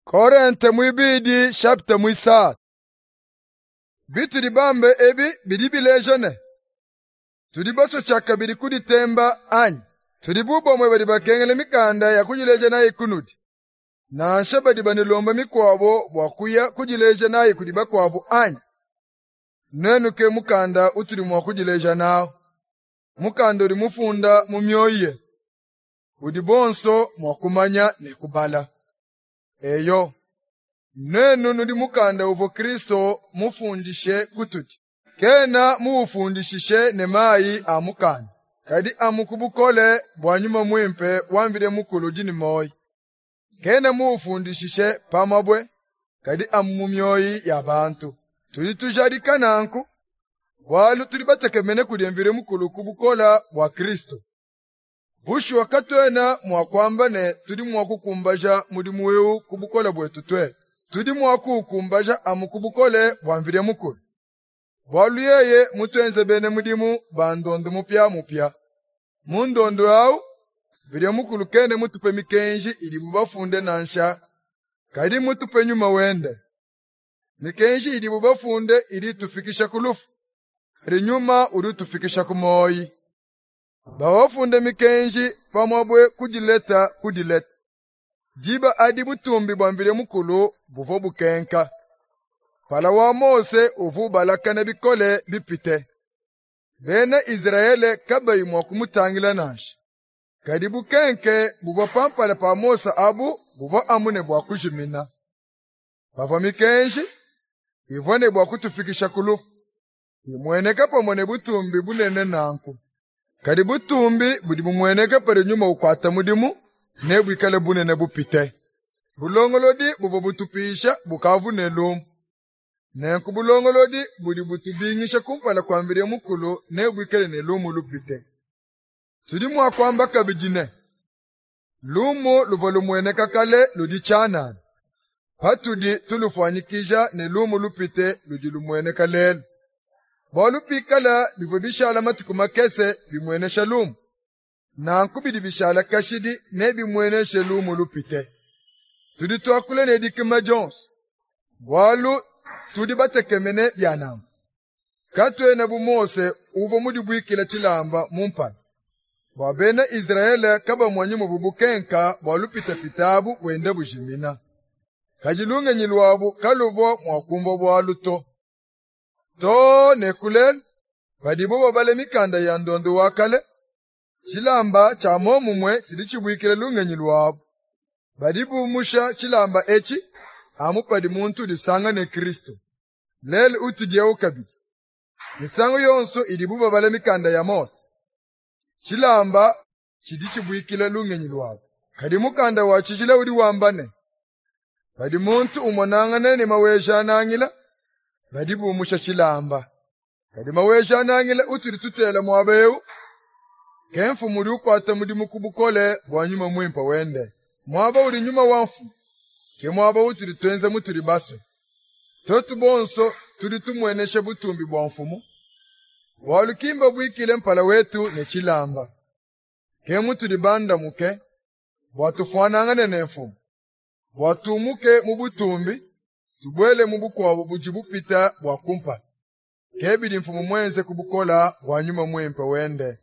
Korente muibidi chapitre muisatu. Bitudi bambe ebi bidi bileja ne, tudi basue tshiakabidi kuditemba anyi? Tudi bu bamue badi bakengela mikanda ya kudileja nayi kunudi, nansha badi banulomba mikuabo bua kuya kudileja nayi kudi bakuabu anyi? Nuenu ke mukanda utudi mua kudileja nawu, mukanda udi mufunda mu mioyo yetu, udi bonso mua kumanya ne kubala. Eyo, nuenu nudi mukanda uvua Kristo mufundishe kutudi. Kena muufundishishe ne mayi a mukanda, kadi amu ku bukole bua Nyuma Muimpe wa Mvidi Mukulu udi ne muoyo. Kena muufundishishe pa mabue, kadi amu mu mioyo ya bantu. Tudi tujadika nanku, bualu tudi batekemene kudi Mvidi Mukulu ku bukole bua Kristo. Bushuwa katuena mua kuamba ne tudi mua kukumbaja mudimu eu ku bukole buetu tuetu. Tudi mua kuukumbaja amu ku bukole bua Mvidi Mukulu. Bualu yeye mutuenze bena mudimu ba ndondo mupiamupia. Mu ndondo awu, Mvidi Mukulu kena mutupe mikenji idibu bafunde nansha, kadi mutupe nyuma wende. Mikenji idibu bafunde idi itufikisha ku lufu, kadi nyuma udi utufikisha ku muoyo. Bawafunde mikenji pa mabue ku dileta ku dileta. Diba adi butumbi bua Mvidi Mukulu buvua bukenka. Mpala wa Mose uvua ubalakana bikole bipite. Bena Izrayele kabayi mua kumutangila nansha. Kadi bukenke buvua pa mpala pa Mose abu buvua amu ne bua kujimina. Pavua mikenji ivua ne bua kutufikisha ku lufu, imueneka pamue ne butumbi bunene nanku. Kadi butumbi budi bumueneka padi nyuma ukuata mudimu nebuikale bunene bupite. Bulongolodi buvua butupisha bukavu ne lumu. Nenku bulongolodi budi butubingisha kumpala kua Mvidi Mukulu nebuikale ne lumu lupite. Tudi mua kuamba kabidi ne, lumu luvua lumueneka kale ludi tshianana, patudi tulufuanyikija ne lumu lupite ludi lumueneka lelu. Bualu pikala bivua bishala matuku makese bimuenesha lumu, nanku bidi bishala kashidi nebimueneshe lumu lupite. Tudi tuakula ne dikima dionso, bualu tudi batekemene bia nanku. Katuena bu Mose uvua mudibuikile tshilamba mu mpala, bua bena Izrayele kabamonyi muvua bukenka bua lupitapita abu buenda bujimina. Kadi lungenyi luabu kaluvua mua kumvua bualu to. Too ne ku lelu, padibu babala mikanda ya ndondo wa kale, tshilamba tshia muomumue tshidi tshibuikila lungenyi luabu. Badi bumusha tshilamba etshi amu padi muntu udisanga ne Kristo. Lelu utudi eu kabidi. Misangu yonso idibu babala mikanda ya Mose, tshilamba tshidi tshibuikila lungenyi luabu. Kadi mukanda wa tshijila udi wamba ne, padi muntu umonangana ne Maweja-Nangila, badi bumusha tshilamba. Kadi Maweja-Nangila utudi tutela muaba eu, ke mfumu udi ukuata mudimu ku bukole bua nyuma muimpe wende. Muaba udi nyuma wa mfumu, ke muaba utudi tuenza mutudi basue. Tuetu bonso tudi tumuenesha butumbi bua mfumu, bualu ki mbabuikile mpala wetu ne tshilamba. Ke mutudi bandamuke bua tufuanangane ne mfumu, bua tumuke mu butumbi, tubuele mu bukuabu budi bupita bua kumpala. Ke bidi mfumu muenze ku bukole bua nyuma muimpe wende.